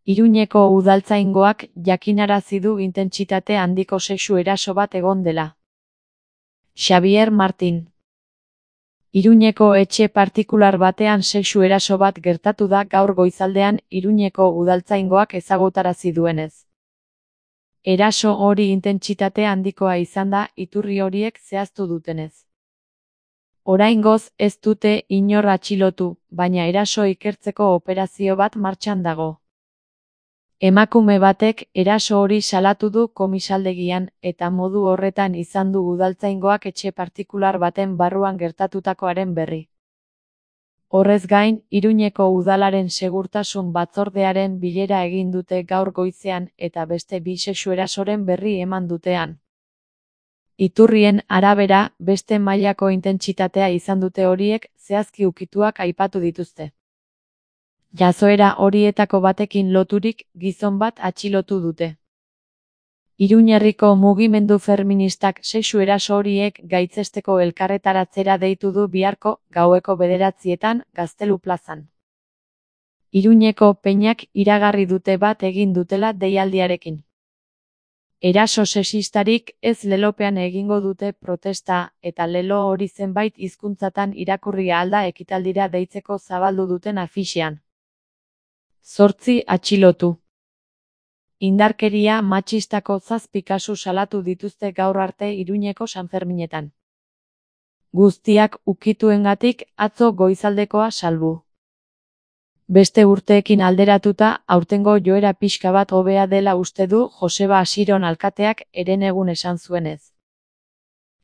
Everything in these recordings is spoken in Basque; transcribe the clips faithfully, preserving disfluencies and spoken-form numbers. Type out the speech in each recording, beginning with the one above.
Iruñeko udaltzaingoak jakinarazi du intentsitate handiko sexu eraso bat egon dela. Xabier Martin. Iruñeko etxe partikular batean sexu eraso bat gertatu da gaur goizaldean Iruñeko udaltzaingoak ezagutarazi duenez. Eraso hori intentsitate handikoa izan da iturri horiek zehaztu dutenez. Oraingoz ez dute inor atxilotu, baina eraso ikertzeko operazio bat martxan dago. Emakume batek eraso hori salatu du komisaldegian eta modu horretan izan du udaltzaingoak etxe partikular baten barruan gertatutakoaren berri. Horrez gain, Iruñeko udalaren segurtasun batzordearen bilera egin dute gaur goizean eta beste bi sexu erasoren berri eman dutean. Iturrien arabera, beste mailako intentsitatea izan dute horiek, zehazki ukituak aipatu dituzte. Jazoera horietako batekin loturik, gizon bat atxilotu dute. Iruñerriko mugimendu feministak sexu eraso horiek gaitzesteko elkarretaratzera deitu du biharko, gaueko bederatzietan, Gaztelu plazan. Iruñeko peinak iragarri dute bat egin dutela deialdiarekin. Eraso sexistarik ez lelopean egingo dute protesta eta lelo hori zenbait hizkuntzatan irakurri alda ekitaldira deitzeko zabaldu duten afixean. Zortzi atxilotu. Indarkeria matxistako zazpi kasu salatu dituzte gaur arte Iruñeko Sanferminetan. Guztiak ukituengatik atzo goizaldekoa salbu. Beste urteekin alderatuta, aurtengo joera pixka bat hobea dela uste du Joseba Asiron alkateak herenegun esan zuenez.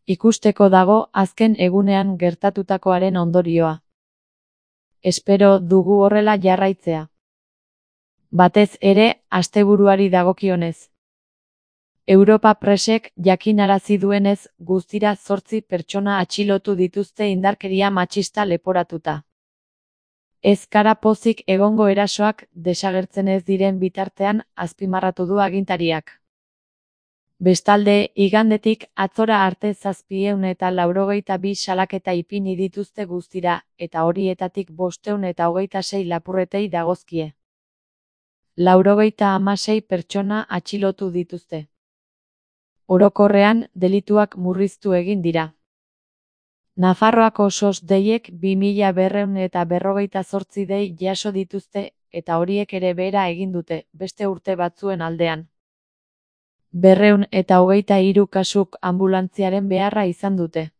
Ikusteko dago azken egunean gertatutakoaren ondorioa. Espero dugu horrela jarraitzea. Batez ere, asteburuari dagokionez. Europa Presek jakinarazi duenez, guztira zortzi pertsona atxilotu dituzte indarkeria matxista leporatuta. Ez gara pozik egongo erasoak desagertzen ez diren bitartean, azpimarratu du agintariak. Bestalde, igandetik atzora arte zazpieun eta laurogeita bi salaketa ipini dituzte guztira, eta horietatik bosteun eta hogeita sei lapurretei dagozkie. Laurogeita hamasei pertsona atxilotu dituzte. Orokorrean, delituak murriztu egin dira. Nafarroako sos deiek bi mila berrehun eta berrogeita zortzi dei jaso dituzte, eta horiek ere behera egin dute, beste urte batzuen aldean. Berrehun eta hogeita hiru kasuk ambulantziaren beharra izan dute.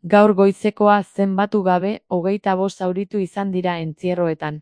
Gaur goizekoa zenbatu gabe, hogeita bost zauritu izan dira entzierroetan.